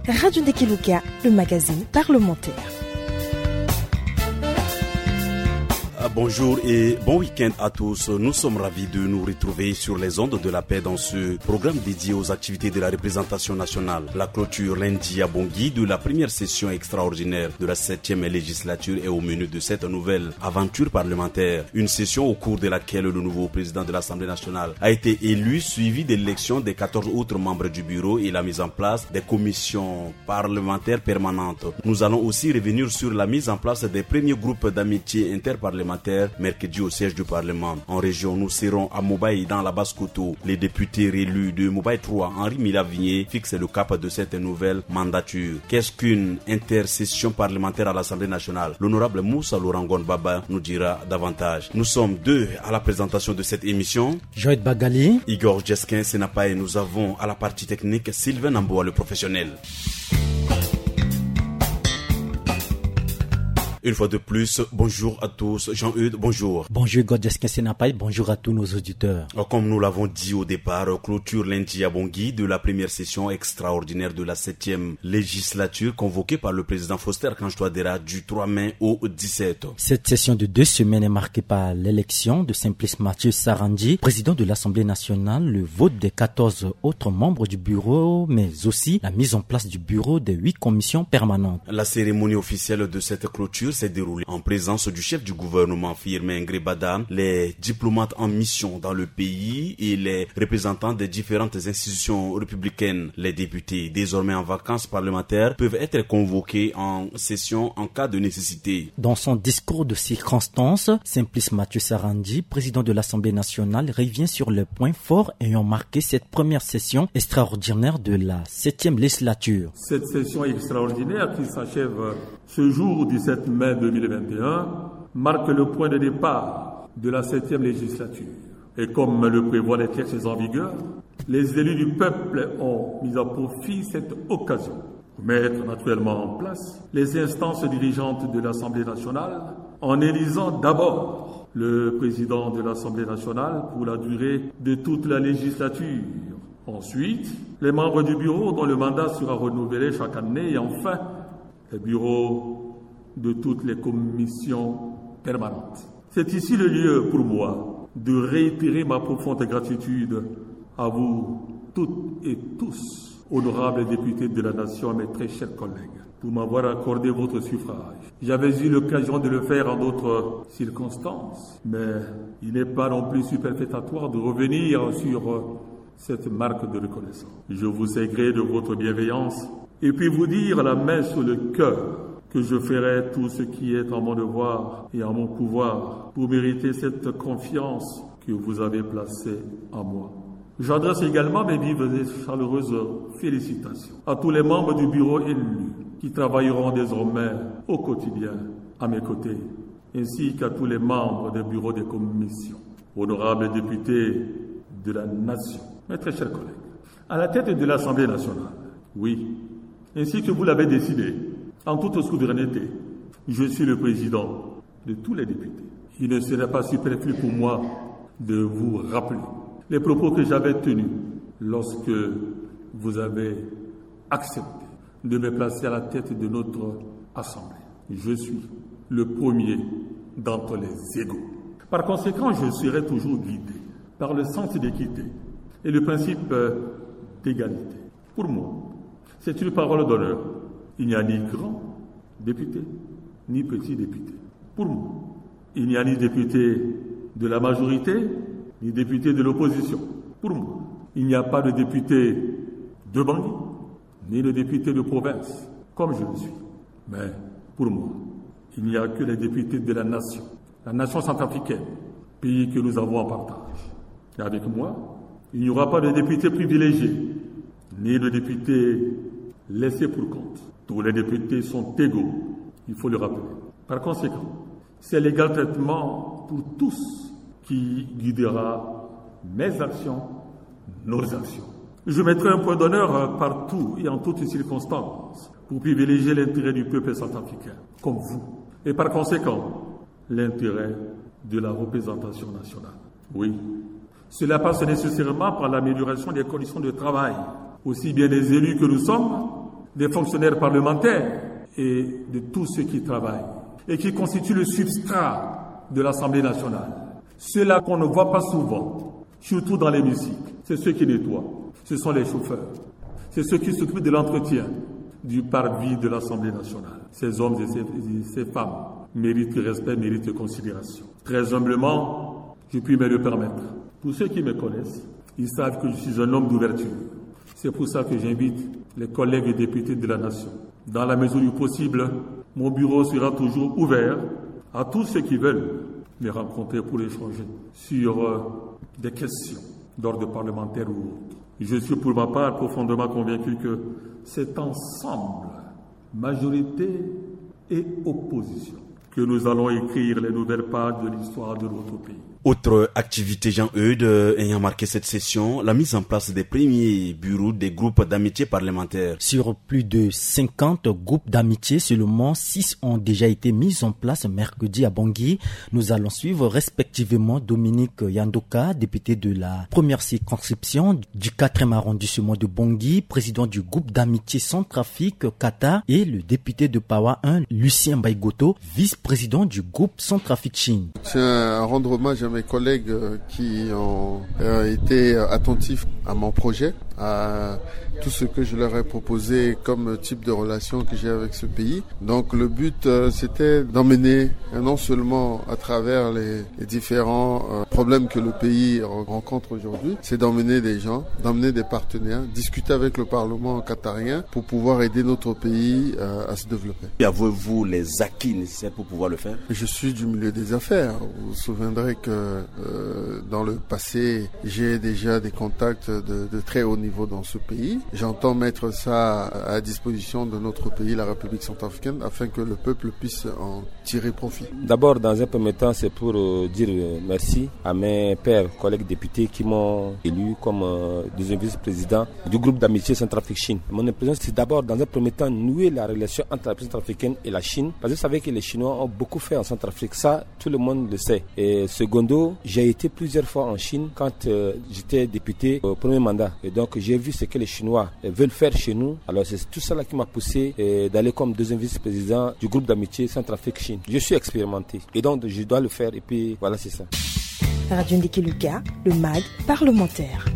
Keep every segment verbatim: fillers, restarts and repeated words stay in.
Radio Ndekeluka, le magazine parlementaire. Ah, bonjour et bon week-end à tous. Nous sommes ravis de nous retrouver sur les ondes de la paix dans ce programme dédié aux activités de la représentation nationale. La clôture lundi à Bangui de la première session extraordinaire de la septième législature est au menu de cette nouvelle aventure parlementaire. Une session au cours de laquelle le nouveau président de l'Assemblée nationale a été élu, suivi de l'élection des quatorze autres membres du bureau et la mise en place des commissions parlementaires permanentes. Nous allons aussi revenir sur la mise en place des premiers groupes d'amitié interparlementaire mercredi au siège du Parlement. En région, nous serons à Mobaye dans la Basse-Kotto. Les députés réélus de Mobaye trois, Henri Mila Vigné, fixent le cap de cette nouvelle mandature. Qu'est-ce qu'une intercession parlementaire à l'Assemblée nationale ? L'honorable Moussa Lourangon Baba nous dira davantage. Nous sommes deux à la présentation de cette émission. Joël Bagali. Igor Jesquin Senapaye, nous avons à la partie technique Sylvain Namboa, le professionnel. Une fois de plus, bonjour à tous. Jean-Eudes, bonjour. Bonjour, Igor Jesquin Senapaye. Bonjour à tous nos auditeurs. Comme nous l'avons dit au départ, clôture lundi à Bangui de la première session extraordinaire de la septième législature convoquée par le président Faustin Archange Touadéra du trois mai au dix-sept. Cette session de deux semaines est marquée par l'élection de Simplice Mathieu Sarandji, président de l'Assemblée nationale, le vote des quatorze autres membres du bureau, mais aussi la mise en place du bureau des huit commissions permanentes. La cérémonie officielle de cette clôture s'est déroulée en présence du chef du gouvernement, Firmin Ngrébada, les diplomates en mission dans le pays et les représentants des différentes institutions républicaines. Les députés, désormais en vacances parlementaires, peuvent être convoqués en session en cas de nécessité. Dans son discours de circonstance, Simplice Mathieu Sarandji, président de l'Assemblée nationale, revient sur les points forts ayant marqué cette première session extraordinaire de la septième législature. Cette session extraordinaire qui s'achève ce jour dix-sept mai deux mille vingt et un marque le point de départ de la septième législature. Et comme le prévoient les textes en vigueur, les élus du peuple ont mis à profit cette occasion pour mettre naturellement en place les instances dirigeantes de l'Assemblée nationale, en élisant d'abord le président de l'Assemblée nationale pour la durée de toute la législature. Ensuite, les membres du bureau dont le mandat sera renouvelé chaque année et enfin, les bureaux de toutes les commissions permanentes. C'est ici le lieu pour moi de réitérer ma profonde gratitude à vous toutes et tous, honorables députés de la nation, mes très chers collègues, pour m'avoir accordé votre suffrage. J'avais eu l'occasion de le faire en d'autres circonstances, mais il n'est pas non plus superfétatoire de revenir sur cette marque de reconnaissance. Je vous ai gré de votre bienveillance et puis vous dire la main sur le cœur que je ferai tout ce qui est en mon devoir et en mon pouvoir pour mériter cette confiance que vous avez placée en moi. J'adresse également mes vives et chaleureuses félicitations à tous les membres du bureau élus qui travailleront désormais au quotidien à mes côtés, ainsi qu'à tous les membres des bureaux des commissions. Honorables députés de la nation, mes très chers collègues, à la tête de l'Assemblée nationale, oui, ainsi que vous l'avez décidé, en toute souveraineté, je suis le président de tous les députés. Il ne serait pas superflu pour moi de vous rappeler les propos que j'avais tenus lorsque vous avez accepté de me placer à la tête de notre Assemblée. Je suis le premier d'entre les égaux. Par conséquent, je serai toujours guidé par le sens d'équité et le principe d'égalité. Pour moi, c'est une parole d'honneur. Il n'y a ni grand député, ni petit député. Pour moi, il n'y a ni député de la majorité, ni député de l'opposition. Pour moi, il n'y a pas de député de banlieue, ni de député de province, comme je le suis. Mais pour moi, il n'y a que les députés de la nation, la nation centrafricaine, pays que nous avons en partage. Et avec moi, il n'y aura pas de député privilégié, ni de député laissé pour compte. Tous les députés sont égaux, il faut le rappeler. Par conséquent, c'est l'égal traitement pour tous qui guidera mes actions, nos actions. Je mettrai un point d'honneur partout et en toutes circonstances pour privilégier l'intérêt du peuple centrafricain, comme vous. Et par conséquent, l'intérêt de la représentation nationale. Oui, cela passe nécessairement par l'amélioration des conditions de travail, aussi bien des élus que nous sommes des fonctionnaires parlementaires et de tous ceux qui travaillent et qui constituent le substrat de l'Assemblée nationale. Ceux-là qu'on ne voit pas souvent, surtout dans l'hémicycle, c'est ceux qui nettoient, ce sont les chauffeurs, c'est ceux qui s'occupent de l'entretien du parvis de l'Assemblée nationale. Ces hommes et ces, et ces femmes méritent respect, méritent considération. Très humblement, je puis me le permettre. Pour ceux qui me connaissent, ils savent que je suis un homme d'ouverture. C'est pour ça que j'invite les collègues députés de la nation. Dans la mesure du possible, mon bureau sera toujours ouvert à tous ceux qui veulent me rencontrer pour échanger sur, euh, des questions d'ordre parlementaire ou autre. Je suis pour ma part profondément convaincu que c'est ensemble, majorité et opposition, que nous allons écrire les nouvelles pages de l'histoire de notre pays. Autre activité, Jean-Eudes, euh, ayant marqué cette session, la mise en place des premiers bureaux des groupes d'amitié parlementaire. Sur plus de cinquante groupes d'amitié, seulement six ont déjà été mis en place mercredi à Bangui. Nous allons suivre respectivement Dominique Yandoka, député de la première circonscription du quatrième arrondissement de Bangui, président du groupe d'amitié Centrafrique Qatar, et le député de Pawa un, Lucien Baïgoto, vice-président du groupe Centrafrique Chine. Je tiens à rendre hommage à mes collègues, euh, qui ont, euh, été, euh, attentifs à mon projet, à tout ce que je leur ai proposé comme type de relation que j'ai avec ce pays. Donc le but, euh, c'était d'emmener, euh, non seulement à travers les, les différents, euh, problèmes que le pays re-, rencontre aujourd'hui, c'est d'emmener des gens, d'emmener des partenaires, discuter avec le Parlement qatarien pour pouvoir aider notre pays, euh, à se développer. Avez-vous les acquis nécessaires pour pouvoir le faire ? Je suis du milieu des affaires. Vous vous souviendrez que, euh, dans le passé, j'ai déjà des contacts de, de très haut niveau dans ce pays. J'entends mettre ça à disposition de notre pays, la République centrafricaine, afin que le peuple puisse en tirer profit. D'abord, dans un premier temps, c'est pour, euh, dire, euh, merci à mes pairs collègues députés qui m'ont élu comme, euh, deuxième vice-président du groupe d'amitié Centrafrique-Chine. Mon impression, c'est d'abord, dans un premier temps, nouer la relation entre la République centrafricaine et la Chine, parce que vous savez que les Chinois ont beaucoup fait en Centrafrique. Ça, tout le monde le sait. Et secondo, j'ai été plusieurs fois en Chine quand, euh, j'étais député au premier mandat. Et donc, j'ai vu ce que les Chinois, euh, veulent faire chez nous. Alors, c'est tout cela qui m'a poussé, euh, d'aller comme deuxième vice-président du groupe d'amitié Centrafrique-Chine. Je suis expérimenté. Et donc, je dois le faire. Et puis, voilà, c'est ça. Radio Ndiki Luka, le mag parlementaire.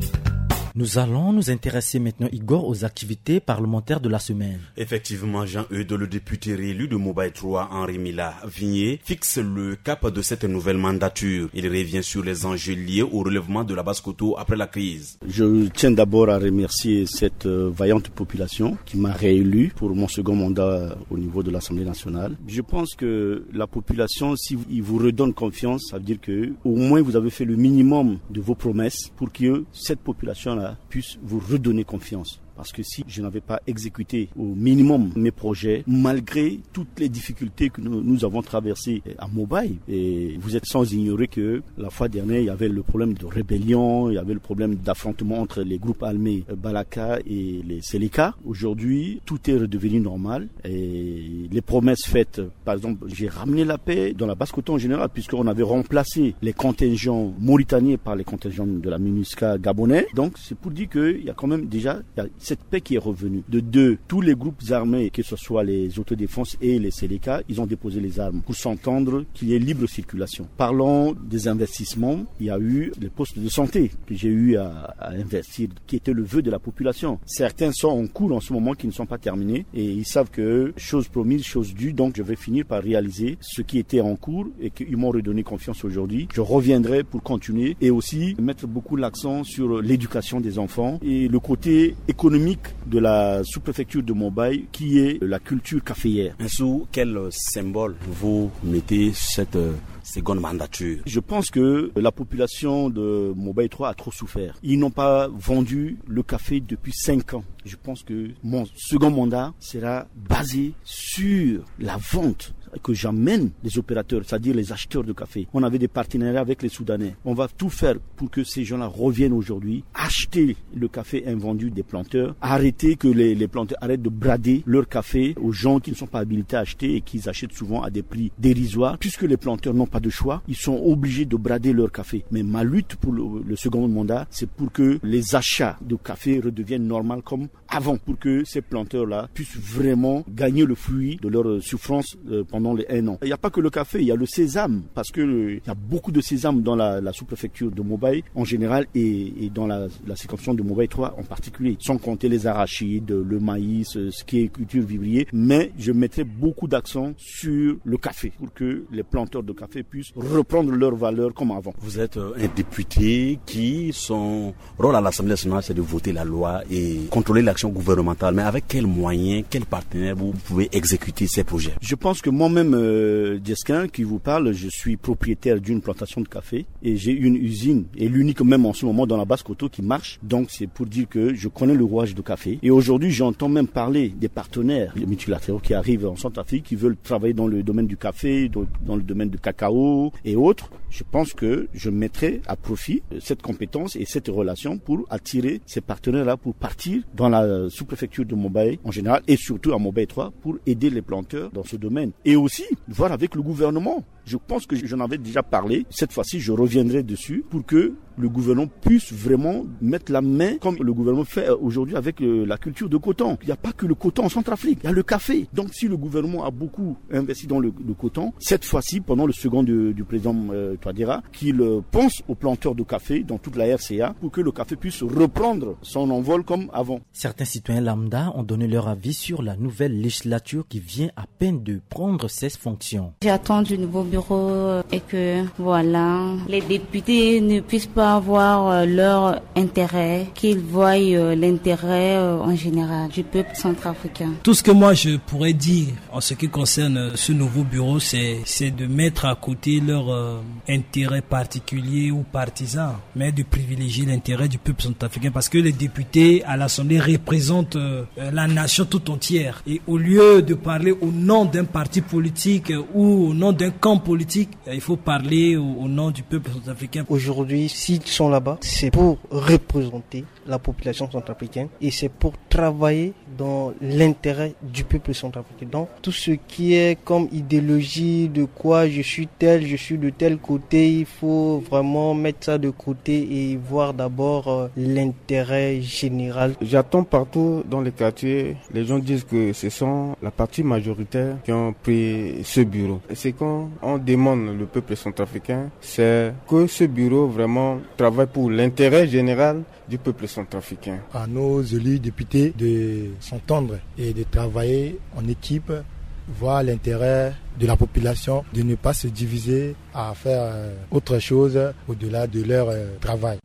Nous allons nous intéresser maintenant, Igor, aux activités parlementaires de la semaine. Effectivement, Jean-Eudes, le député réélu de Mobay trois, Henri Mila Vigné, fixe le cap de cette nouvelle mandature. Il revient sur les enjeux liés au relèvement de la Basse-Kotto après la crise. Je tiens d'abord à remercier cette, euh, vaillante population qui m'a réélu pour mon second mandat au niveau de l'Assemblée nationale. Je pense que la population, si il vous redonne confiance, ça veut dire que au moins vous avez fait le minimum de vos promesses pour que cette population-là puisse vous redonner confiance. Parce que si je n'avais pas exécuté au minimum mes projets, malgré toutes les difficultés que nous, nous avons traversées à Mobay, et vous êtes sans ignorer que la fois dernière, il y avait le problème de rébellion, il y avait le problème d'affrontement entre les groupes armés, euh, Balaka et les Seleka. Aujourd'hui, tout est redevenu normal et les promesses faites, par exemple, j'ai ramené la paix dans la Basse-Kotto en général, puisqu'on avait remplacé les contingents mauritaniens par les contingents de la MINUSCA gabonais. Donc, c'est pour dire qu'il y a quand même déjà, il y a cette paix qui est revenue. De deux, tous les groupes armés, que ce soit les autodéfenses et les Seleka, ils ont déposé les armes pour s'entendre qu'il y ait libre circulation. Parlons des investissements. Il y a eu les postes de santé que j'ai eu à, à investir, qui était le vœu de la population. Certains sont en cours en ce moment, qui ne sont pas terminés, et ils savent que chose promise, chose due, donc je vais finir par réaliser ce qui était en cours et qu'ils m'ont redonné confiance aujourd'hui. Je reviendrai pour continuer et aussi mettre beaucoup l'accent sur l'éducation des enfants et le côté économique de la sous-préfecture de Mobay, qui est la culture caféière. Sous quel symbole vous mettez cette, euh, seconde mandature ? Je pense que la population de Mobay trois a trop souffert. Ils n'ont pas vendu le café depuis cinq ans. Je pense que mon second mandat sera basé sur la vente, que j'emmène les opérateurs, c'est-à-dire les acheteurs de café. On avait des partenariats avec les Soudanais. On va tout faire pour que ces gens-là reviennent aujourd'hui acheter le café invendu des planteurs. Arrêter que les, les planteurs arrêtent de brader leur café aux gens qui ne sont pas habilités à acheter et qu'ils achètent souvent à des prix dérisoires, puisque les planteurs n'ont pas de choix. Ils sont obligés de brader leur café. Mais ma lutte pour le, le second mandat, c'est pour que les achats de café redeviennent normaux comme avant pour que ces planteurs-là puissent vraiment gagner le fruit de leur souffrance euh, pendant les un an. Il n'y a pas que le café, il y a le sésame, parce que euh, il y a beaucoup de sésame dans la, la sous-préfecture de Mobay en général et, et dans la, la circonscription de Mobay trois en particulier, sans compter les arachides, le maïs, euh, ce qui est culture vivrier. Mais je mettrai beaucoup d'accent sur le café pour que les planteurs de café puissent reprendre leur valeur comme avant. Vous êtes euh, un député qui, son rôle à l'Assemblée nationale, c'est de voter la loi et contrôler l'action gouvernementale. Mais avec quels moyens, quels partenaires vous pouvez exécuter ces projets ? Je pense que moi-même, euh, Djesquin, qui vous parle, je suis propriétaire d'une plantation de café et j'ai une usine, et l'unique même en ce moment dans la Basse-Kotto qui marche. Donc c'est pour dire que je connais le rouage du café. Et aujourd'hui, j'entends même parler des partenaires multilatéraux qui arrivent en Centrafrique, qui veulent travailler dans le domaine du café, dans le domaine du cacao et autres. Je pense que je mettrai à profit euh, cette compétence et cette relation pour attirer ces partenaires-là pour partir dans la sous-préfecture de Mobay en général et surtout à Mobay trois pour aider les planteurs dans ce domaine. Et aussi voir avec le gouvernement. Je pense que j'en avais déjà parlé. Cette fois-ci, je reviendrai dessus pour que le gouvernement puisse vraiment mettre la main comme le gouvernement fait euh, aujourd'hui avec euh, la culture de coton. Il n'y a pas que le coton en Centrafrique, il y a le café. Donc si le gouvernement a beaucoup investi dans le, le coton, cette fois-ci, pendant le second du, du président euh, Touadéra, qu'il euh, pense aux planteurs de café dans toute la R C A pour que le café puisse reprendre son envol comme avant. Certains citoyens lambda ont donné leur avis sur la nouvelle législature qui vient à peine de prendre ses fonctions. J'attends du nouveau bureau euh, et que, voilà, les députés ne puissent pas avoir euh, leur intérêt, qu'ils voient euh, l'intérêt euh, en général du peuple centrafricain. Tout ce que moi je pourrais dire en ce qui concerne euh, ce nouveau bureau, c'est, c'est de mettre à côté leur euh, intérêt particulier ou partisan, mais de privilégier l'intérêt du peuple centrafricain, parce que les députés à l'Assemblée représentent euh, euh, la nation tout entière. Et au lieu de parler au nom d'un parti politique euh, ou au nom d'un camp politique, euh, il faut parler au, au nom du peuple centrafricain. Aujourd'hui, s'ils sont là-bas, c'est pour représenter la population centrafricaine et c'est pour travailler dans l'intérêt du peuple centrafricain. Donc, tout ce qui est comme idéologie de quoi je suis tel, je suis de tel côté, il faut vraiment mettre ça de côté et voir d'abord euh, l'intérêt général. J'attends partout dans les quartiers, les gens disent que ce sont la partie majoritaire qui ont pris ce bureau. Et c'est quand on demande le peuple centrafricain, c'est que ce bureau vraiment travaille pour l'intérêt général du peuple centrafricain. À nos élus députés de s'entendre et de travailler en équipe, voir l'intérêt de la population, de ne pas se diviser à faire euh, autre chose au-delà de leur euh, travail.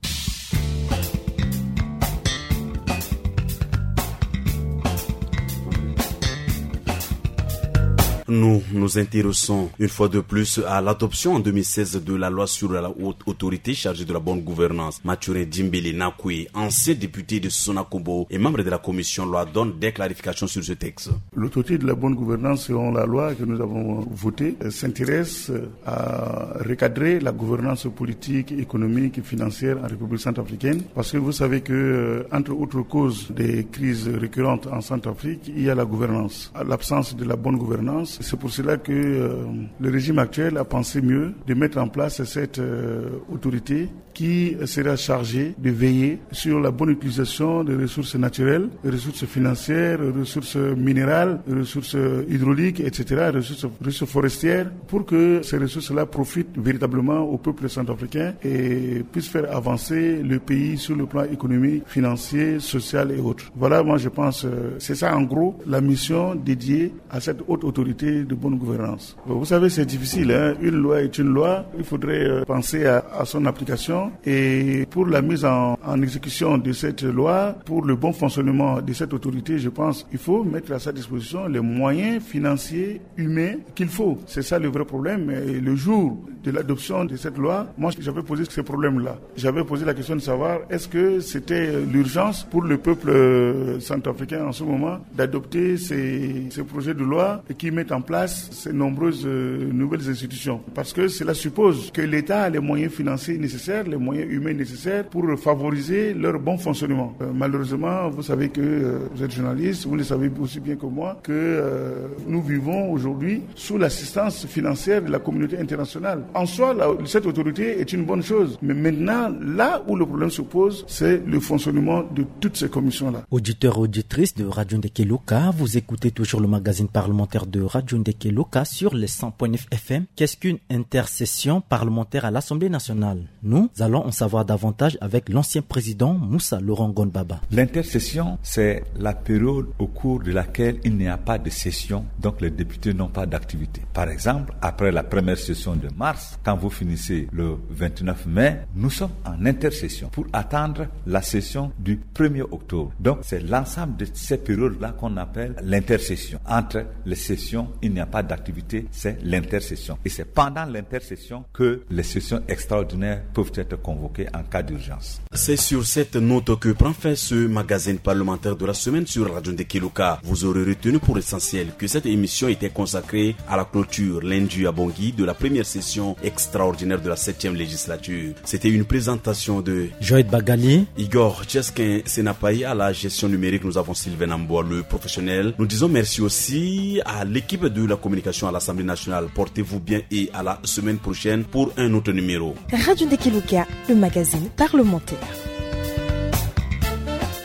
Nous nous intéressons une fois de plus à l'adoption en deux mille seize de la loi sur la haute autorité chargée de la bonne gouvernance. Mathurin Dimbele Nakoué, ancien député de Sonakombo et membre de la commission loi, donne des clarifications sur ce texte. L'autorité de la bonne gouvernance, selon la loi que nous avons votée, euh, s'intéresse à recadrer la gouvernance politique, économique et financière en République centrafricaine. Parce que vous savez que, euh, entre autres causes des crises récurrentes en Centrafrique, il y a la gouvernance. L'absence de la bonne gouvernance, c'est pour cela que euh, le régime actuel a pensé mieux de mettre en place cette euh, autorité qui sera chargée de veiller sur la bonne utilisation des ressources naturelles, ressources financières, ressources minérales, ressources hydrauliques, et cetera, ressources, ressources forestières, pour que ces ressources-là profitent véritablement au peuple centrafricain et puissent faire avancer le pays sur le plan économique, financier, social et autres. Voilà, moi je pense, euh, c'est ça en gros la mission dédiée à cette haute autorité de bonne gouvernance. Bon, vous savez, c'est difficile, hein. Une loi est une loi. Il faudrait euh, penser à, à son application. Et pour la mise en, en exécution de cette loi, pour le bon fonctionnement de cette autorité, je pense qu'il faut mettre à sa disposition les moyens financiers, humains qu'il faut. C'est ça le vrai problème. Et le jour de l'adoption de cette loi, moi, j'avais posé ce problème-là. J'avais posé la question de savoir est-ce que c'était l'urgence pour le peuple euh, centrafricain en ce moment d'adopter ces, ces projets de loi qui mettent en place ces nombreuses, euh, nouvelles institutions. Parce que cela suppose que l'État a les moyens financiers nécessaires, les moyens humains nécessaires pour favoriser leur bon fonctionnement. Euh, malheureusement, vous savez que, euh, vous êtes journaliste, vous le savez aussi bien que moi, que, euh, nous vivons aujourd'hui sous l'assistance financière de la communauté internationale. En soi, la, cette autorité est une bonne chose. Mais maintenant, là où le problème se pose, c'est le fonctionnement de toutes ces commissions-là. Auditeurs et auditrices de Radio Ndekeloka, vous écoutez toujours le magazine parlementaire de Radio Ndekeloka sur les cent point neuf F M. Qu'est-ce qu'une intersession parlementaire à l'Assemblée nationale ? Nous allons en savoir davantage avec l'ancien président Moussa Laurent Gon Baba. L'intercession, c'est la période au cours de laquelle il n'y a pas de session, donc les députés n'ont pas d'activité. Par exemple, après la première session de mars, quand vous finissez le vingt-neuf mai, nous sommes en intercession pour attendre la session du premier octobre. Donc, c'est l'ensemble de ces périodes-là qu'on appelle l'intercession. Entre les sessions, il n'y a pas d'activité, c'est l'intercession. Et c'est pendant l'intercession que les sessions extraordinaires peuvent être convoquées en cas d'urgence. C'est sur cette note que prend fin ce magazine parlementaire de la semaine sur Radio Ndekeloka. Vous aurez retenu pour l'essentiel que cette émission était consacrée à la clôture lundi à Bangui de la première session extraordinaire de la septième législature. C'était une présentation de Joël Bagali, Igor Cheskin Senapaï à la gestion numérique. Nous avons Sylvain Amboa, le professionnel. Nous disons merci aussi à l'équipe de la communication à l'Assemblée nationale. Portez-vous bien et à la semaine prochaine pour un autre numéro. Radio Ndekeloka, le magazine parlementaire.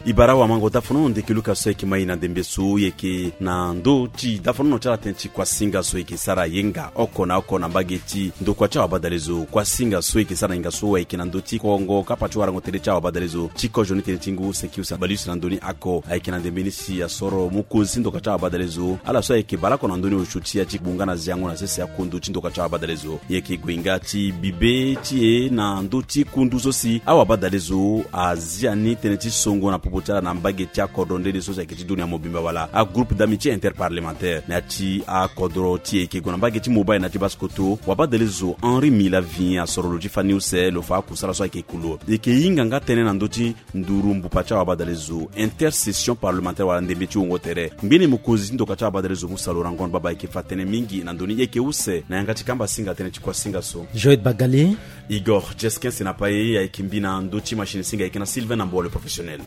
E bara wa mango dafono Ndekeloka so e yeke ma e na ndembe so e yeke na ndö ti dafono ti ala tënë ti kuasinga so e yeke sara yenga oko na oko na mbage ti ndokua ti awabadalezo. Kuasinga so e yeke sara na yenga so ayeke na ndö ti kongo kapa ti warango tere ti awabadalezo ti kozo ni tënë ti ngu seki use na baleuse na ndö ni ako ayeke na ndembe ni si asoro mokonzi ti ndokua ti awabadalezo ala so ayeke baleoko na ndö ni osio ti ya ti gbunga na ziango na sese akundu ti ndokua ti awabadalezo. E yeke gue nga ti bibe ti e na ndö ti kundu so si awabadalezo azia ni tënë ti songo na popo ti ala na mbage ti akodro nde nde so si ayeke ti dunia mobimba wala agroupe d'amitié interparlementaire. Na ya ti akodro ti e yeke gue na mbage ti mobile na ya ti basse-kotto, wabadalezo Henri Milavien asoro lo ti fani use lo fa akusala so ayeke kulo. E yeke hinga nga tënë na ndö ti nduru mbupa ti awabadalezo, intercession parlementaire wala ndembe ti wongo tere. Ngbene mokonzi ti ndokua ti awabadalezo Moussa Laurent Gon Baba ayeke fa tënë mingi na ndö ni. E yeke use na yanga ti kamba singa tënë ti kuasinga so. Joël Bagali, Igor Cheskin Senapaï ayeke mbi na ndö ti machine singa ayeke na Sylvain Amboa le professionnel.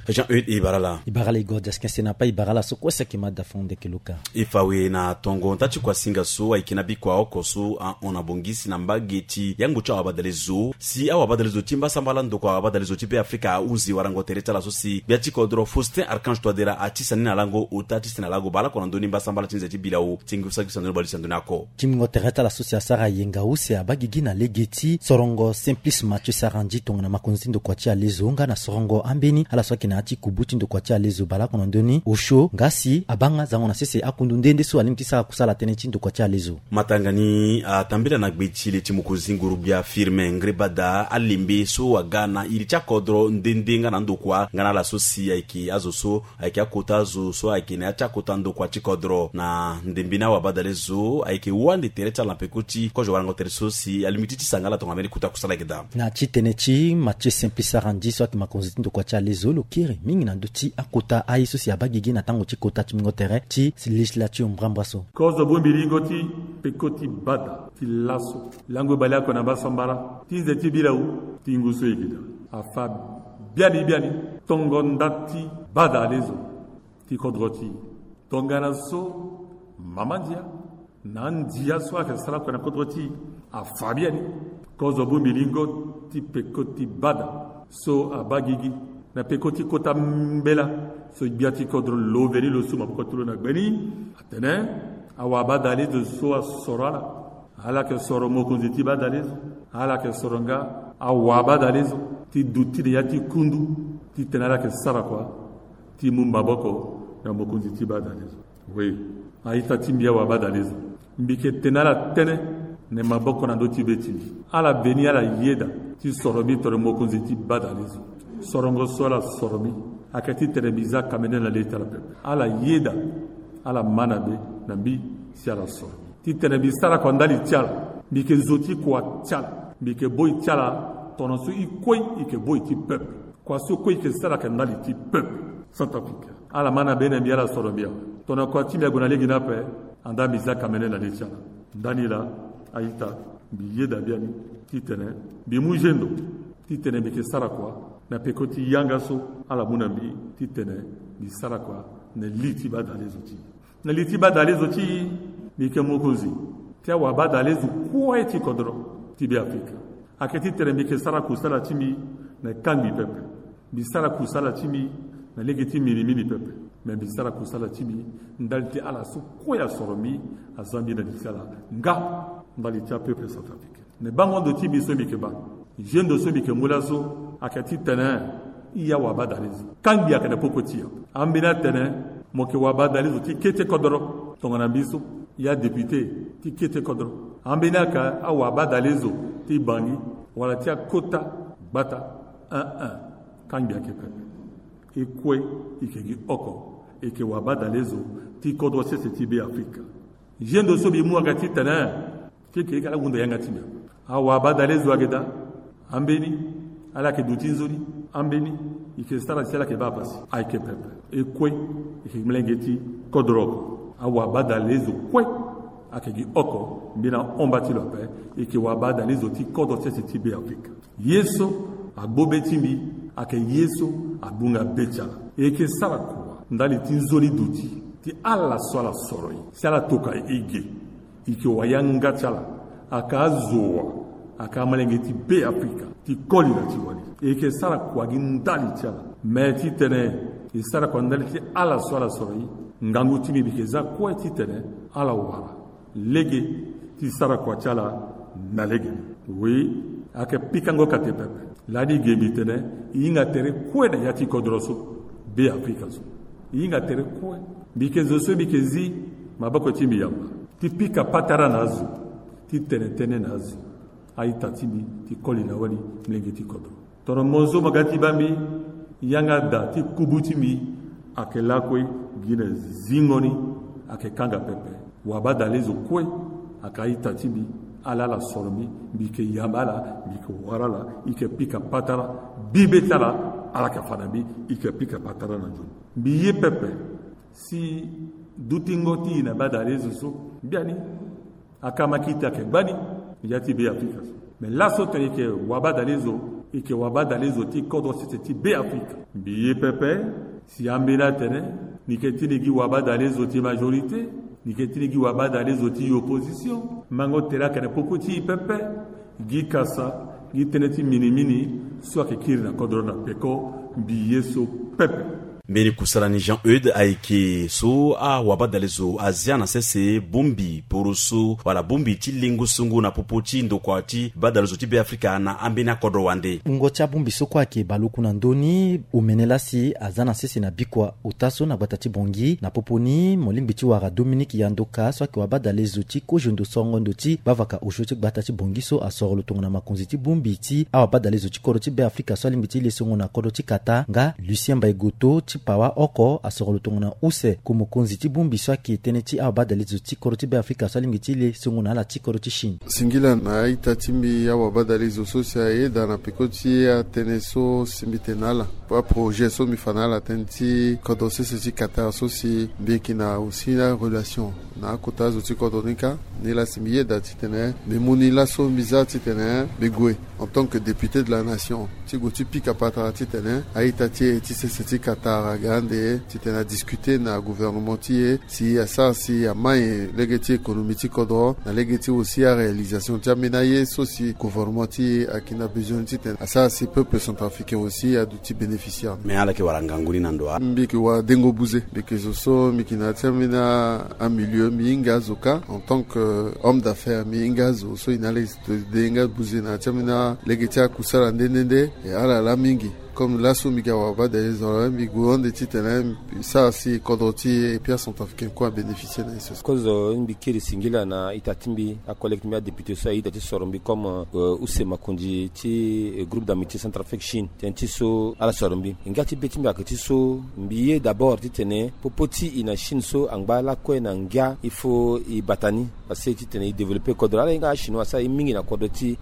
Jean-Eudes, e bara ala. E bara ala Igor Cheskin Senapaï, e bara ala so kue si ayeke ma dafono Ndekeloka. E fa awe na tongo nda ti kuasinga so ayeke na bikua oko so ahon na bongisi na mbage ti yango ti awabadalezo si awabadalezo ti mbasambala ndokua awabadalezo ti Be Afrika ahunzi warango tere ti ala so si gbia ti kodro Faustin Archange Touadéra ati sani na lango ota ti sene na lango baleoko na ndö ni mbasambala ti nze ti bilau ti ngu saki sandoni baleuse na ndö ni ako. Ti mingo tere ti ala so si asara yenga use abaa gigi na lege ti sorongo Simplice Mathieu Sarandji tongana makonzi ti ndokua ti alezo nga na sorongo ambeni ala so ayeke na ya ti kubu ti ndokua ti alezo baleoko na ndö ni osio nga si abaa nga zango na sese akundu nde nde so alingbi ti sara kusala tënë ti ndokua ti alezo. Matanga ni atambela na gbe ti le ti mokonzi nguru-gbia Firmin Ngrébada alembe so aga na iri ti akodro nde nde nga na ndokua nga na ala so si ayeke azo so ayeke akota azo so ayeke na ya ti akota ndokua ti kodro na ndembe ni awabadalezo ayeke wande tere ti ala na peko ti kozo warango tere so si alingbi ti tisa nga ala tongana mbeni kota kusala ayeke daa. Na ya ti tënë ti Mathieu Simplice Sarandji so ayeke makonzi ti ndokua ti alezo lo kiri mingi na ndö ti akota aye so si abaa gigi na tango ti kota ti mingo tere ti législature mbrambra so. Kozo bongbi lingo ti peko ti bada ti laso lango baleoko na mbasambala ti nze ti bilau ti ngu so e gi daa afa biani biani tongo nda ti badalezo ti kodro ti e. Tongana so mama ndia na andia so ayeke sara oko na kodro ti e afa biani. Kozo bongbi lingo ti peko ti bada so abaa gigi na peko ti kota mbela so gbia ti kodro lo veni lo su maboko ti lo na gbe ni atene awabadalezo so asoro ala. Ala yeke soro mokonzi ti badalezo. Ala yeke soro nga awabadalezo ti duti na ya ti kundu titene ala yeke sara kua ti mu maboko na mokonzi ti badalezo. Oui, a-ita ti mbi awabadalezo, mbi yeke tene ala tënë na maboko na ndö ti be ti mbi. Ala veni ala yeda ti soro mbi tongana mokonzi ti badalezo. Sorongo so ala soro mbi ayeke titene mbi za kamene na le ti ala pepe. Ala yeda, ala ma na be na mbi si ala soro mbi titene mbi sara kua ndali ti ala. Mbi yeke zo ti kua ti ala. Mbi yeke boi ti ala tongana so e kue e yeke boi ti peuple. Kua so kue e yeke sara ayeke ndali ti peuple. Centrafricain, Ala ma na be na mbi, ala soro mbi awe. Tongana kua ti mbi ague na lege ni ape, andaa mbi za kamene na le ti ala. Ndani laa, a-ita, mbi yeda biani titene mbi mu zendo titene mbi yeke sara kua na peko ti yanga so ala mu na mbi titene mbi sara kua na li ti badalezo ti e. Na li ti badalezo ti e, mbi yeke mokonzi ti awabadalezo kue ti kodro ti Beafrika. Ayeke titene mbi yeke sara kusala ti mbi na kangbi pepe. Mbi sara kusala ti mbi na lege ti minimini pepe. Me mbi sara kusala ti mbi ndali ti ala so kue asoro mbi, aza mbi na li ti ala nga ndali ti apeuple centrafricain. Me bango ndo ti mbi so mbi yeke baa, zendo so mbi yeke mu laso ayeke titene i awabadalezo. Kangbi ayeke na popo ti e. Ambeni atene mo yeke wabadalezo ti kete kodro tongana mbi so, i adéputé ti kete kodro. Ambeni ayeke awabadalezo ti Bangui wala ti akota gbata. Un un. Kangbi ayeke pepe. E kue, e yeke gi oko, e yeke wabadalezo ti kodro sese ti Beafrika. Zendo so mbi mu ayeke titene ti e yeke ala hunda yanga ti mbi. Awabadalezo ayeke daa. Ambeni ala yeke duti nzoni. Ambeni e yeke sara si ala yeke baa pasi. Ayeke pepe. E kue, e yeke molenge ti kodro oko. Awabadalezo kue ayeke gi oko mbi na hon mba ti lo ape. E yeke wabadalezo ti kodro sese ti Beafrika. Ye so agbu be ti mbi ayeke ye so agbunga be ti ala. E yeke sara kua ndali ti nzoni duti ti ala so ala soro e si ala toka e ge. E yeke wayanga ti ala. Ayeke azo wa, ayeke amolenge ti Beafrika ti koli na ti wali. E yeke sara kua gi ndali ti ala. Me titene e sara kua ndali ti ala so ala soro e, ngangu ti mbi mbi yeke za kue titene ala wara lege ti sara kua ti ala na lege ni. Oui, ayeke pikango kate pepe. Lani e ge mbi tene e hinga tere kue na ya ti kodro so, Beafrika so. E hinga tere kue. Mbi yeke zo so mbi yeke zi maboko ti mbi yamba ti pika patara na azo, ti tene tënë na azo. A-ita ti mbi ti koli na wali, molenge ti kodro. Tongana mo so mo ga ti baa mbi, yanga daa ti kubu ti mbi ayeke lakue gi na zingo ni, ayeke kanga pepe. Wabadalezo kue ayeke a-ita ti mbi. Ala ala soro mbi, mbi yeke yamba ala, mbi yeke wara ala, e yeke pika patara. Bibe ti ala, ala yeke fa na mbi, e yeke pika patara na nzoni. Mbi ye pepe si dutingo ti e na badalezo so, biani. Akamakita ayeke gbani ya ti Beafrika so. Me laso tene e yeke wabadalezo, e yeke wabadalezo ti kodro sese ti Beafrika. Mbi ye pepe si ambeni atene ni yeke ti ni gi wabadalezo ti majorité, ni yeke ti ni gi wabadalezo ti opposition. Mango tere ayeke na popo ti e pepe. Gi kasa, gi tënë ti minimini so ayeke kiri na kodro na peko. Mbi ye so pepe. Mbeni kusala ni Jean Eudes ayeke so awabadalezo azia na sese bongbi poroso wala bongbi ti lengo songo na popo ti ndokua ti badalezo ti Beafrika na ambeni akodro wande. Wungo ti abongbi so kue ayeke baleoku na ndö ni omene laa si aza na sese na bikua ota so na gbata ti Bangui. Na popo ni mo lingbi ti wara Dominique Yandoka so ayeke wabadalezo ti koziondo sorongo ndo ti gbavaka osio ti gbata ti Bangui so asoro lo tongana makonzi ti bongbi ti awabadalezo ti kodro ti Beafrika so alingbi ti le songo na kodro ti Qatar, nga Lucien Mbaye Goto ti pawa oko asoro lo tongana use ko mokonzi ti bongbi so ayeke tënë ti awabadalezo ti kodro ti Beafrika so alingbi ti le songo na ala ti kodro ti Chine. Singila na a-ita ti mbi awabadalezo so si ayeda na peko ti atënë so si mbi tene na ala. Aprojet so mbi fa na ala tënë ti kodro sese ti Qatar so si mbi yeke na aussi arelation na akota azo ti kodro ni kâ. Nilaa si mbi yeda titene mbi mu ni laso mbi za titene mbi gue en tant que député de la nation ti gue ti pika patara titene a-ita ti e ti sese ti Qatar aga ande titene adiscuter na gouvernement ti e si asara si amai lege ti économie ti kodro na lege ti aussi aréalisation ti ambeni aye so si gouvernement ti e ayeke na besoin titene asara si peuple centrafricain aussi aduti bénéficiaire. Mais ala yeke wara ngangu ni na ndo wa? Mbi yeke wara dengo buze. Mbi yeke zo so mbi yeke na ya ti ambeni amilieu, mbi hinga azo kâ en tant que homme d'affaires. Mbi hinga azo so e na ala e denga buze na ya ti ambeni alege ti akusala nde nde nde. E ala laa mingi. Comme laso mbi ga wabadalezo, mbi gue ande titene mbi sara si kodro ti e et puis acentrafricain kue abénéficier na ye so. Kozo, mbi kiri singila na ita ti mbi, acollègue ti mbi, adéputé so aye ita ti soro mbi comme, euh, use makonzi ti, euh, groupe d'amitié Centrafrique Chine. Tënë ti so ala soro mbi. Ngia ti be ti mbi ayeke ti so mbi ye d'abord titene popo ti e na Chine so angba lakue na ngia, il faut e bata ni. Parce que titene e développer kodro, ala hinga achinois asara ye mingi na kodro ti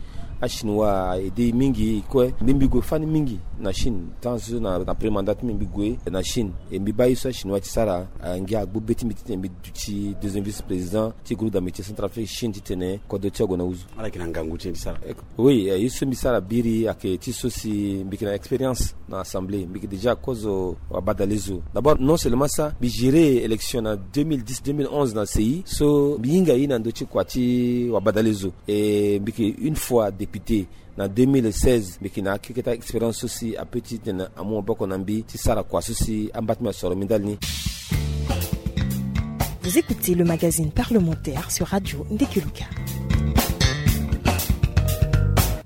Achinois a aidé mingi kue. Mbi mbi gue fani mingi na Chine, tant na premier mandat ti mbi mbi gue na Chine. E mbi baa ye so achinois ti sara, ngia agbu be ti mbi titene mbi duti deuxième vice-président ti groupe d'amitié Centrafrique Chine titene kodro ti ague na huzu. Ala yeke na ngangu ti e ti sara. Oui, ye so mbi sara biri ayeke ti so si mbi yeke na expérience na assemblée, mbi yeke déjà kozo wabadalezo. D'abord, non seulement ça, mbi géré élection na deux mille dix, deux mille onze na C I, so mbi hinga ye na ndö ti kua ti wabadalezo. E mbi yeke une fois député na deux mille seize, mbi yeke na akeketa expérience so si ape titene amu maboko na mbi ti sara kua so si amba ti mbi asoro mbi ndali ni. Vous écoutez le magazine parlementaire sur Radio Ndekeluka.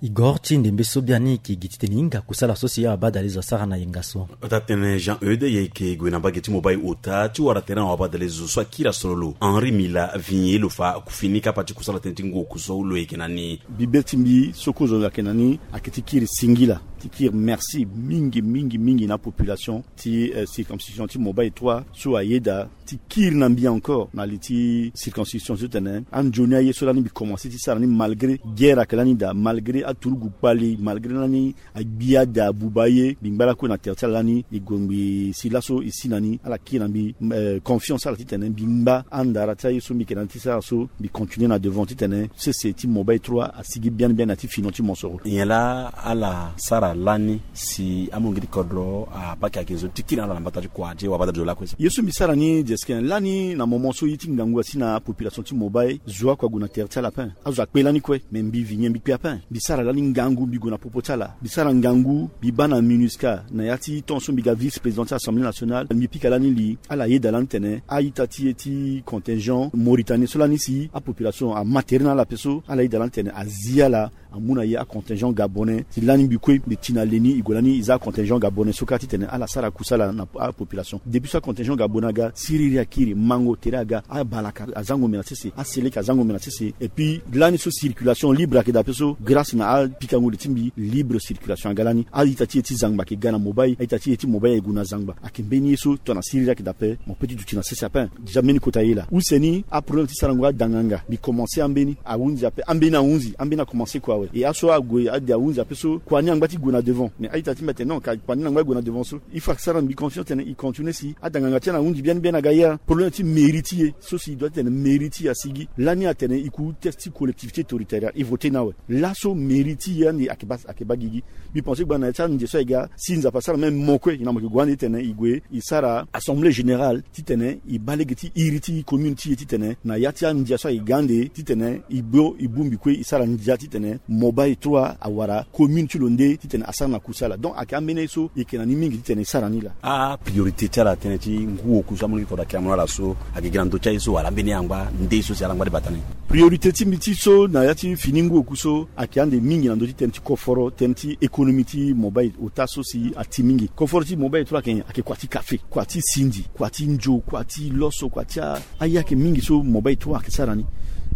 Igor ti ndembe so biani e yeke gi titene e hinga kusala so si abadalezo asara na yenga so. Ota tënë Jean Eude, e yeke gue na mbage ti Mobaye ota ti wara tere na wabadalezo so akiri asoro lo. Henri Mila Vigné lo fa akufini kapa ti kusala tënë ti ngu oku so lo yeke na ni. Bibe ti mbi so kozo ayeke na ni ayeke ti kiri singila, ti kiri merci mingi mingi mingi na apopulation ti circonscription ti Mobaye trois so ayeda ti kiri na mbi encore na li ti circonscription so titene anzoni aye so lani mbi commencé ti sara ni malgré guerre ayeke lani daa, malgré aturugu kpali, malgré lani agbi ada abuba aye, mbi ngba lakue na tere ti ala lani. E gue ngbii si laso e si na ni, ala kiri na mbi confiance ala titene mbi ngba andara ti aye so mbi yeke na ni ti sara so, mbi continué na devant titene sese ti Mobaye trois asigi biani biani na ya ti fini ti mosoro. Nyen laa ala sara lani si amolenge ti kodro abaa ayeke nzoni ti kiri na ala na mbata ti kua ti wabadalezo lakue? Ye so mbi sara ni, Jesquin, lani na moment so ye ti ngangu asi na apopulation ti Mobaye, zo oko ague na tere ti ala ape. Azo akpe lani kue, me mbi Vigné mbi kpe ape. Mbi sara lani ngangu, mbi gue na popo ti ala. Mbi sara ngangu, mbi baa na MINUSCA na ya ti temps so mbi ga vice-président ti Assemblée nationale. Mbi pika lani li, ala yeda lani titene a-ita ti e ti contingent Mauritanie so lani si apopulation ama tere na ala ape so, ala yeda lani titene azi ala, amu na e acontingent gabonais. Si lani mbi kue mbi ti na le ni, e gue lani e za acontingent gabonais so kâ titene ala sara kusala na apopulation. Depuis so acontingent gabonais aga, siriri akiri, mango tere aga, abalaka azango mbi na sese, aseleke azango mbi na sese. Et puis lani so circulation libre ayeke daa ape so, grâce na apikango li ti mbi, libre circulation aga lani. A-ita ti e ti zangba ayeke ga na Mobaye, a-ita ti e ti Mobaye aye gue na zangba. Ayeke mbeni ye so tongana siriri ayeke daa ape, mo peut ti duti na sese ape. Déjà mbeni kota ye laa. Use ni, aproblème ti sarango adanganga, mbi commencé ambeni ahunzi ape, ambeni ahunzi, ambeni akomanse kua awe. E aso ague ade ahunzi ape so, kua ni angba ti gue na devant. Mais a-ita ti mbi atene non, ka kua ni angba ti gue na devant so, il faut asara mbi confiance titene e continué si adanganga ti ala ahunzi biani biani aga ya. Problème ti mairie ti e so si e doit titene mairie ti e asigi. Lani atene e ku test ti collectivité territoriale, e voté ni awe. Laso mairie ti e ande ayeke baa, ayeke baa gigi. Mbi pensé gbanga na ya ti anze so aye ga, si Nzapa asara même mo kue, e na mo yeke gue ande titene e gue e sara assemblée générale titene e baa lege ti iri ti commune ti e titene na ya ti andia so aye ga ande titene e bo, e bongbi kue e sara ndia titene Mobaye trois awara commune ti lo nde titene asara na kusala. Donc ayeke ambeni aye so e yeke na ni mingi titene e sara ni laa. Apriorité ti ala tënë ti ngu oku so amolenge ti kodro ayeke amu na ala so, ayeke gi na ndö ti aye so wala ambeni angba nde so si ala ngba ti bata ni? Priorité ti mbi ti so na ya ti fini ngu oku so ayeke ande mingi na ndö ti tënë ti koforo, tënë ti économie ti Mobaye ota so si ati mingi. Koforo ti Mobaye trois ayeke nyen? Ayeke kua ti kafe, kua ti sindi, kua ti nzo, kua ti loso, kua ti a, aye ayeke mingi so Mobaye trois ayeke sara ni.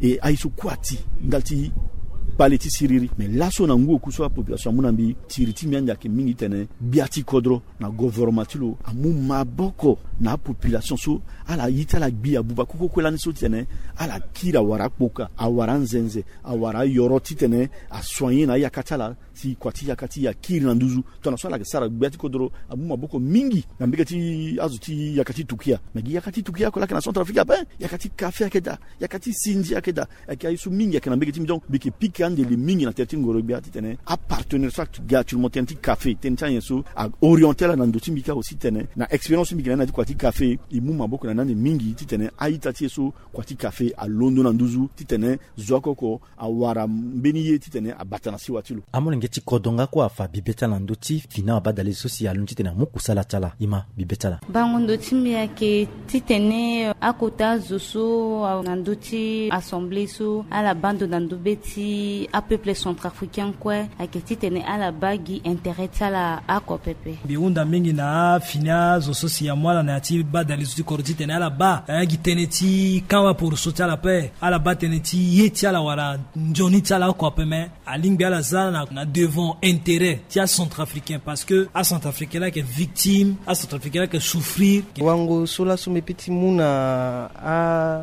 E aye so kue ati ndali ti kpale ti siriri. Me laso na ngu oku so apopulation amu na mbi, tiri ti mbi ande ayeke mingi titene gbia ti kodro na gouvernement ti lo amu maboko na apopulation so ala ye ti ala gbi abuba koko kue lani so titene ala kiri awara akpoka, awara anzenze, awara ayoro titene asoigné na ayaka ti ala, si kua ti yaka ti e akiri na nduzu. Tongana so ala yeke sara gbia ti kodro, amu maboko mingi na mbege ti azo ti yaka ti tukia. Me gi yaka ti tukia oko laa ayeke na Centrafrique ape. Yaka ti kafe ayeke daa, yaka ti sindi ayeke daa. Ayeke aye so mingi ayeke na mbege ti mbi. Donc mbi yeke pika ande li mingi na tere ti ngoro gbia titene apartenaire so ayeke ga actuellement tënë ti kafe, tënë ti anyen so a orienté ala na ndö ti mbi kâ aussi titene na expérience so mbi yeke na ni na ya ti kua ti kafe, e mu maboko na ni ande mingi titene a-ita ti e so kua ti kafe alondo na nduzu titene zo oko oko awara mbeni ye titene abata na siwa ti lo. Amolenge ti kodro nga kue afa bibe ti ala na ndö ti fini wabadalezo so si alondo titene amu kusala ti ala. Ima bibe ti ala. Bango ndo ti mbi ayeke titene akota azo so awe na ndö ti assemblée so ala baa ndo na ndö be ti apeuple centrafricain kue, ayeke titene ala baa gi intérêt ti ala oko pepe. Mbi hunda mingi na afini azo so si amu ala na ya ti badalezo ti kodro titene ala baa na ya gi tënë ti kamp waporoso. Ti ala pe ala baa tënë ti ye ti ala wala nzoni ti ala oko ape, me alingbi ala za na, na devant intérêt ti acentrafricain, parce que acentrafricain laa ayeke victime, acentrafricain laa ayeke souffrir. Wango so laso mbi peut ti mu na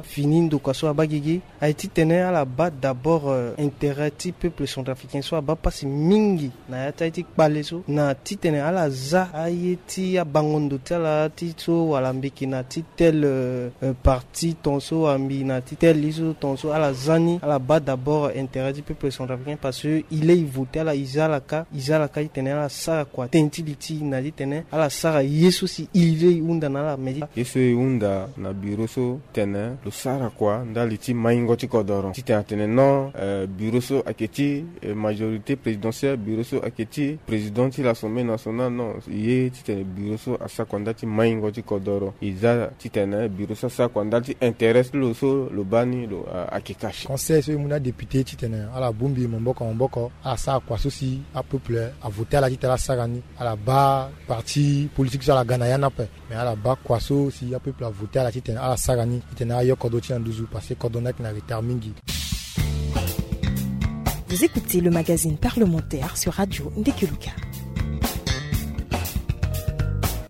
afini ndokua so abaa gigi aye titene ala baa d'abord, euh, intérêt ti peuple centrafricain so abaa pasi mingi na ya ti aye ti kpale so, na titene ala za aye ti abango ndo ti ala ti so wala mbi yeke na ti tel, euh, euh, parti tongaso wala mbi na ti tel ye so tongaso, ala za ni, ala baa d'abord intérêt ti peuple centrafricain, parce que e le e vote ala, e za ala ka, e za ala ka titene ala sara kua tënë ti li ti e na titene ala sara ye so si e le e hunda na ala. Mais ye so e hunda na bureau so tene lo sara kua ndali ti maingo ti kodoro titene atene non, euh, bureau so ayeke ti, euh, majorité présidentielle, bureau so ayeke ti président ti l'Assemblée nationale, non. Ye titene bureau so asara kua ndali ti maingo ti kodoro, e za titene bureau so asara kua ndali ti intérêt ti lo so lo baa ni lo, euh, ayeke caché. Conseil so e mu na adéputé titene ala bongbi maboko maboko, ala sara kua so si apeuple avote ala titene ala sara ni, ala baa parti politique so ala ga na ya ni ape. Mais ala baa kua so si apeuple avote ala titene ala sara ni titene ayo kodro ti na nduzu, parce que kodro ni ayeke na retard mingi. Vous écoutez le magazine parlementaire sur Radio Ndekeluka.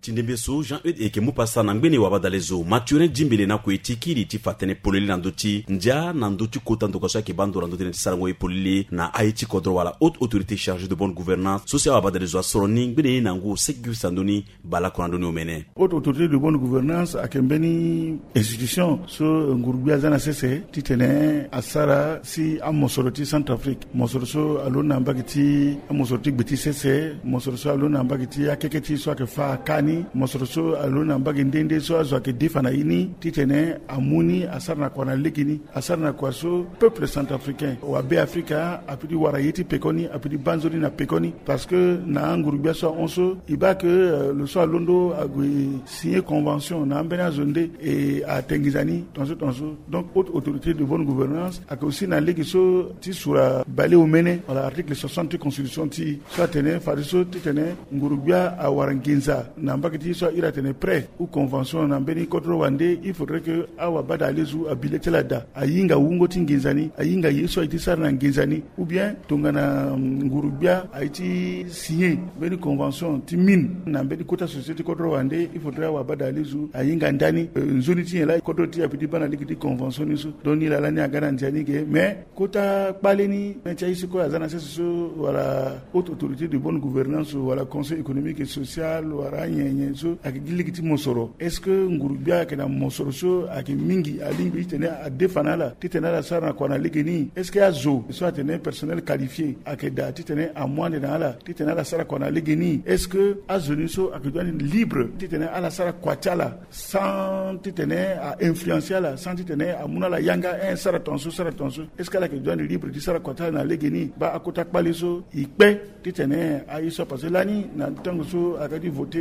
Ti ndembe so Jean Eudes e yeke mu pasa na ngbene wabadalezo Mathurin Djimbele na kue ti kiri ti fa tënë polele na ndö ti ndia na ndö ti kota ndokua so ayeke baa ndo na ndö ti tënë ti sarango ye polele na aye ti kodro wala haute autorité chargée de bonne gouvernance so si awabadalezo asoro ni ngbene ye na ngu seki gi fisa ndoni. Bala kua na ndoni omene. Haute autorité de bonne gouvernance ayeke mbeni institution so nguru-gbia aza na sese titene asara si amosoro ti Centrafrique, mosoro so alondo na mbage ti amosoro ti gbe ti sese, mosoro so alondo na mbage ti akeke ti so ayeke fâ aka ni, mosoro so alondo na mbage nde nde so azo ayeke defa na ye ni titene amu ni asara na kua na lege ni, asara na kua so peuple centrafricain wa Be Afrika apeut ti wara ye ti pekoni, apeut ti baa nzoni na pekoni. Parce que na anguru-gbia so ahon so, e baa ke, euh, lo so alondo ague signer convention na ambeni azo nde e ate nginza ni tongaso tongaso. Donc haute autorité de bonne gouvernance ayeke aussi na lege so ti sura bale omene wala article soixante ti constitution ti e so atene fadeso titene nguru-gbia awara nginza na mbage ti e so a iri atene prêt ou convention na mbeni kodro wande, il faudrait que awabadalezo abi le ti ala daa, ahinga wungo ti nginza ni, ahinga ye so aye ti sara na nginza ni. Ou bien tongana, mm, nguru-gbia aye ti signer mbeni convention ti mine na mbeni kota société ti kodro wande, il faudrait awabadalezo ahinga ndani, euh, nzoni ti nyen laa kodro ti e apeut ti baa na lege ti convention ni so. Donc ni laa lani aga na ndia ni ge. Mais kota kpale ni, ti aye so kue aza na sese so wala haute autorité de bonne gouvernance wala conseil économique et social wala anyen nyen so ayeke gi lege ti mosoro. Est-ce que nguru-gbia ayeke na mosoro so ayeke mingi alingbi titene adefa na ala titene ala sara na kua na lege ni? Est-ce que azo so atene personnel qualifié ayeke daa titene amu ande na ala titene ala sara kua na lege ni? Est-ce que azo ni so ayeke duani libre titene ala sara kua ti ala sans titene a influencer ala, sans titene amu na ala yanga, eh, sara tongaso, sara tongaso? Est-ce que ala yeke duani libre ti sara kua ti ala na lege ni? Baa akota kpale so e kpe titene aye so apasse lani na tango so aga ti voter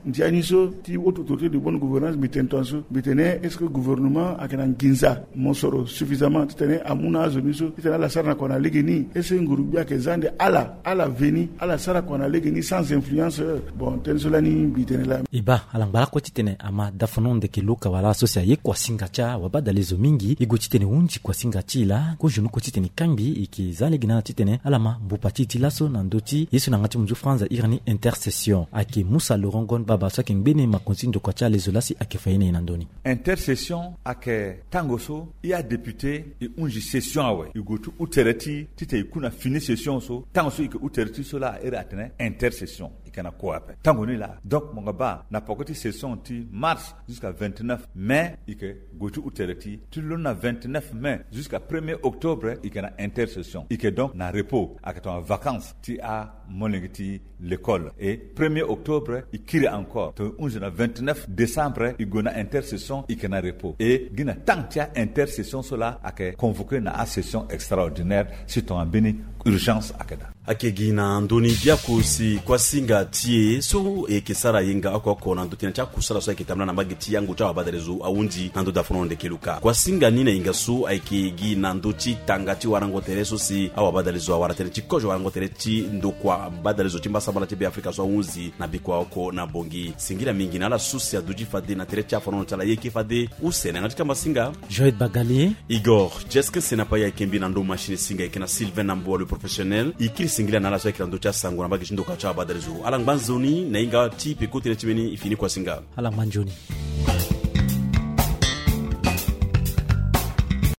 ndia ni so ti haute autorité de bonne gouvernance, mbi tene tongaso, mbi tene est-ce que gouvernement ayeke na nginza mosoro suffisamment titene amu na azo ni so titene ala sara na kua na lege ni? Est-ce que nguru-gbia ayeke za ande ala, ala veni ala sara kua na lege ni sans influence? Bon, tënë so lani mbi tene laa. E baa ala ngba lakue titene ama dafono ndeke luka wala so si aye kuasinga ti awabadalezo mingi, e gue titene e hunzi kuasinga ti e laa, kozoni oko titene e kangbi, e yeke za lege na ala titene ala ma mbupa ti e ti laso na ndö ti ye so na yanga ti munzu franz airi ni intercession. Ayeke Musa Laurent Gon Baba so ayeke ngbene makonzi ti ndokua ti alezo laa si ayeke fa ye na e na ndö ni. Intercession ayeke tango so e adéputé e hunzi session awe, e gue ti hu tere ti e titene e ku na fini session so. Tango so e yeke hu tere ti e so laa a iri atene intercession. E yeke na kue ape tango ni laa. Donc mo yeke baa na peko ti session ti mars jusqu'à vingt-neuf mai, e yeke gue ti hu tere ti e. Ti londo na vingt-neuf mai jusqu'à premier octobre, e yeke na intercession. E yeke donc na repos, ayeke tongana vacances ti amolenge ti l'école. Et premier octobre e kiri encore, tongana e hunzi na vingt-neuf décembre e gue na intercession, e yeke na repos. Et gi na temps ti a-intercession so laa ayeke convoqué na asession extraordinaire si tongana mbeni Urgence akeda. Ayeke gi na ndö ni biaku si kuasinga ti e so e yeke sara yenga oko oko na ndö tënë ti akusala so ayeke tambula na mbage ti yango ti awabadalezo ahunzi na ndö dafono ndeke luka. Kuasinga ni na yenga so ayeke gi na ndö ti tanga ti warango tere so si awabadalezo awara tënë ti kozo warango tere ti ndokua badalezo ti mbasambala ti Be Afrika so ahunzi na bikua oko na Bongi. Singila mingi na ala so si aduti fade na tere ti afanono ti ala. E yeke fade use na yanga ti kamba singa. Joël Bagali. Igor Jeskin Senapa ayeke mbi na ndö machine singa ayeke na Sylvain Namboa le professionnel. E kiri singila na ala so ayeke na ndö ti asango na mbage ti ndokua ti awabadalezo. Ala ngba nzoni na hinga ti peko tënë ti mbeni e fini kuasinga. Ala ngba nzoni.